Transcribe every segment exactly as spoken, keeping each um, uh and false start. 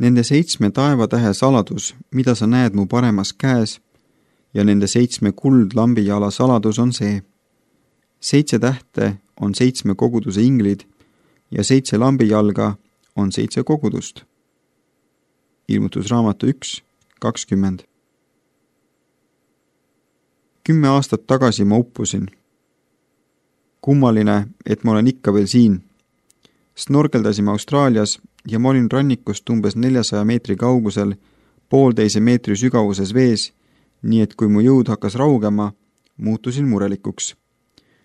Nende seitsme taevatähe saladus, mida sa näed mu paremas käes, ja nende seitsme kuldlambijala saladus on see. Seitse tähte on seitsme koguduse inglid ja seitse lambijalga on seitse kogudust. Ilmutusraamatu üks kakskümmend. Kümme aastat tagasi ma uppusin. Kummaline, et ma olen ikka veel siin. Snorkeldasime Austraalias ja ma olin rannikust umbes neljasaja meetri kaugusel poolteise meetri sügavuses vees, nii et kui mu jõud hakkas raugema, muutusin murelikuks.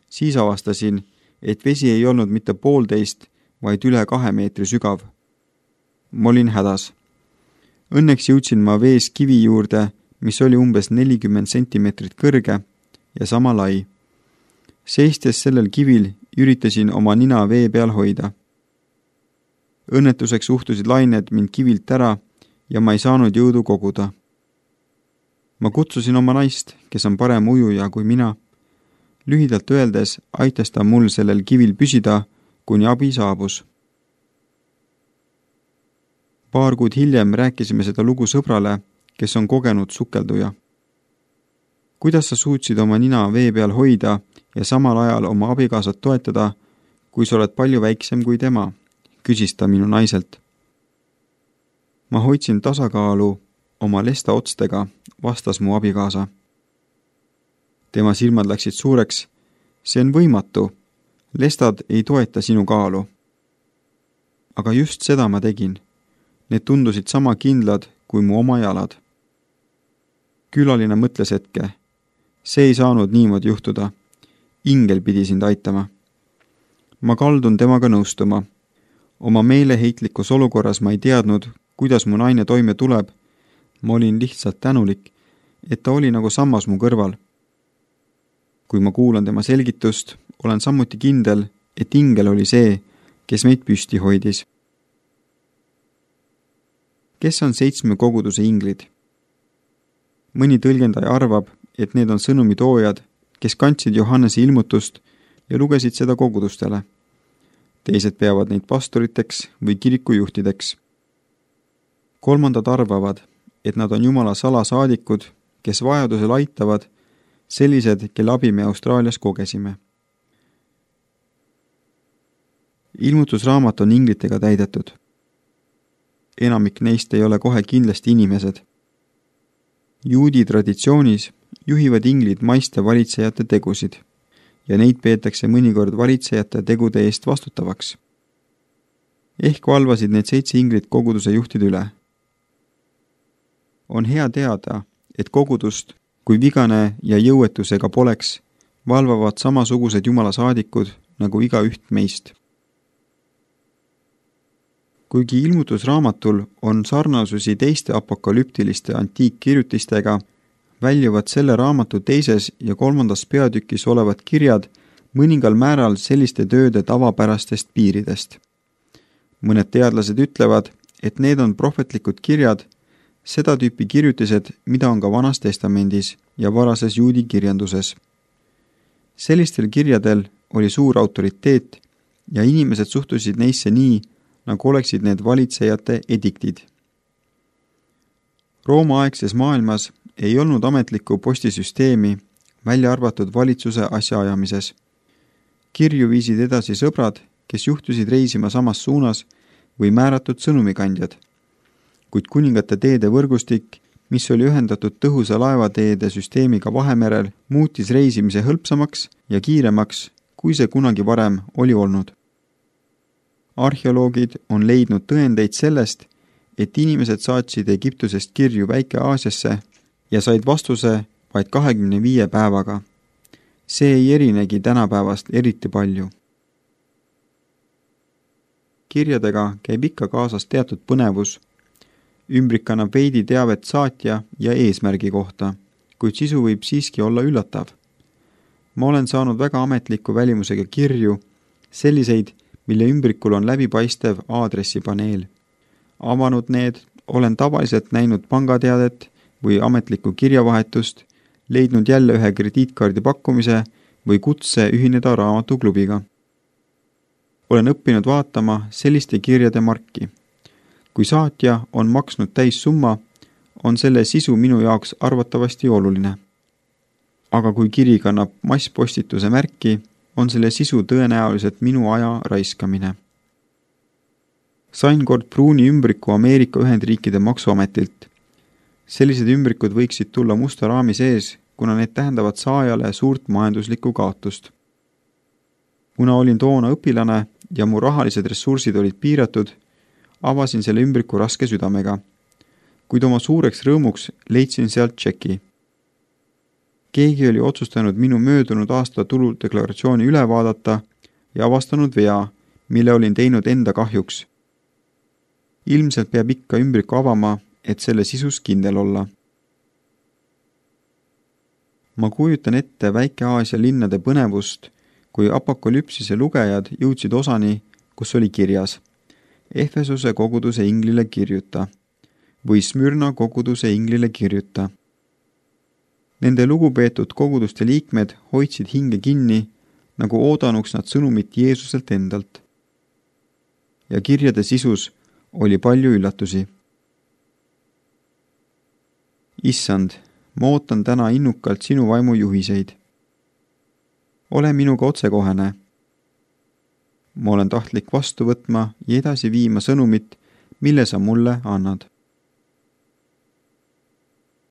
Siis avastasin, et vesi ei olnud mitte poolteist, vaid üle kahe meetri sügav. Ma olin hädas. Õnneks jõudsin ma vees kivi juurde, mis oli umbes nelikümmend sentimeetrit kõrge ja sama lai. Seistes sellel kivil üritasin oma nina vee peal hoida. Õnnetuseks uhtusid lained mind kivilt ära ja ma ei saanud jõudu koguda. Ma kutsusin oma naist, kes on parem ujuja kui mina. Lühidalt öeldes aitas ta mul sellel kivil püsida, kuni abi saabus. Paar kuud hiljem rääkisime seda lugu sõbrale, kes on kogenud sukelduja. Kuidas sa suutsid oma nina vee peal hoida ja samal ajal oma abikaasat toetada, kui sa oled palju väiksem kui tema, küsis ta minu naiselt. Ma hoidsin tasakaalu oma lesta otstega, vastas mu abikaasa. Tema silmad läksid suureks. See on võimatu. Lestad ei toeta sinu kaalu. Aga just seda ma tegin. Need tundusid sama kindlad kui mu oma jalad. Külaline mõtles hetke. See ei saanud niimoodi juhtuda. Ingel pidi sind aitama. Ma kaldun temaga nõustuma. Oma meeleheitlikus olukorras ma ei teadnud, kuidas mu naine toime tuleb. Ma olin lihtsalt tänulik, et ta oli nagu sammas mu kõrval. Kui ma kuulan tema selgitust, olen samuti kindel, et ingel oli see, kes meid püsti hoidis. Kes on seitsme koguduse inglid? Mõni tõlgendaja arvab, et need on sõnumitoojad, kes kandsid Johannese ilmutust ja lugesid seda kogudustele. Teised peavad neid pastoriteks või kirikujuhtideks. Kolmandad arvavad, et nad on Jumala salasaadikud, kes vajadusel aitavad, sellised, kelle abi me Austraalias kogesime. Ilmutusraamat on inglitega täidetud. Enamik neist ei ole kohe kindlasti inimesed. Juudi traditsioonis juhivad inglid maiste valitsejate tegusid ja neid peetakse mõnikord valitsejate tegude eest vastutavaks. Ehk valvasid need seitse inglit koguduse juhtide üle. On hea teada, et kogudust, kui vigane ja jõuetusega poleks, valvavad samasugused Jumala saadikud nagu iga üht meist. Kuigi ilmutusraamatul on sarnasusi teiste apokalüptiliste antiikkirjutistega, väljuvad selle raamatu teises ja kolmandas peatükis olevad kirjad mõningal määral selliste tööde tavapärastest piiridest. Mõned teadlased ütlevad, et need on prohvetlikud kirjad, seda tüüpi kirjutised, mida on ka Vanas Testamendis ja varases juudi kirjanduses. Sellistel kirjadel oli suur autoriteet ja inimesed suhtusid neisse nii, nagu oleksid need valitsejate ediktid. Rooma-aegses maailmas ei olnud ametlikku postisüsteemi, välja arvatud valitsuse asjaajamises. Kirju viisid edasi sõbrad, kes juhtusid reisima samas suunas või määratud sõnumikandjad. Kuid kuningate teede võrgustik, mis oli ühendatud tõhusa laevateede süsteemiga Vahemerel, muutis reisimise hõlpsamaks ja kiiremaks, kui see kunagi varem oli olnud. Arheoloogid on leidnud tõendeid sellest, et inimesed saatsid Egiptusest kirju Väike-Aasiasse ja said vastuse vaid kahekümne viie päevaga. See ei erinegi tänapäevast eriti palju. Kirjadega käib ikka kaasas teatud põnevus. Ümbrik annab veidi teavet saatja ja eesmärgi kohta, kuid sisu võib siiski olla üllatav. Ma olen saanud väga ametliku välimusega kirju, selliseid, mille ümbrikul on läbipaistev aadressipaneel. Avanud need, olen tavaliselt näinud pangateadet või ametlikku kirjavahetust, leidnud jälle ühe krediitkaardi pakkumise või kutse ühineda raamatuklubiga. Olen õppinud vaatama selliste kirjade marki. kui saatja on maksnud täissumma, on selle sisu minu jaoks arvatavasti oluline. Aga kui kiri kannab masspostituse märki, on selle sisu tõenäoliselt minu aja raiskamine. Sain kord pruuni ümbriku Ameerika Ühendriikide maksuametilt. Sellised ümbrikud võiksid tulla musta raami sees, kuna need tähendavad saajale suurt majanduslikku kaotust. Kuna olin toona õpilane ja mu rahalised ressursid olid piiratud, avasin selle ümbriku raske südamega, kuid oma suureks rõõmuks leidsin sealt tšeki. Keegi oli otsustanud minu möödunud aasta tuludeklaratsiooni üle vaadata ja avastanud vea, mille olin teinud enda kahjuks. Ilmselt peab ikka ümbriku avama, et selle sisus kindel olla. Ma kujutan ette Väike-Aasia linnade põnevust, kui apokalüpsise lugejad jõudsid osani, kus oli kirjas Efesuse koguduse inglile kirjuta või Smyrna koguduse inglile kirjuta. Nende lugupeetud koguduste liikmed hoidsid hinge kinni, nagu oodanuks nad sõnumit Jeesuselt endalt. Ja kirjade sisus oli palju üllatusi. Issand, ma ootan täna innukalt sinu vaimu juhiseid. Ole minuga otsekohene. Ma olen tahtlik vastu võtma ja edasi viima sõnumit, mille sa mulle annad.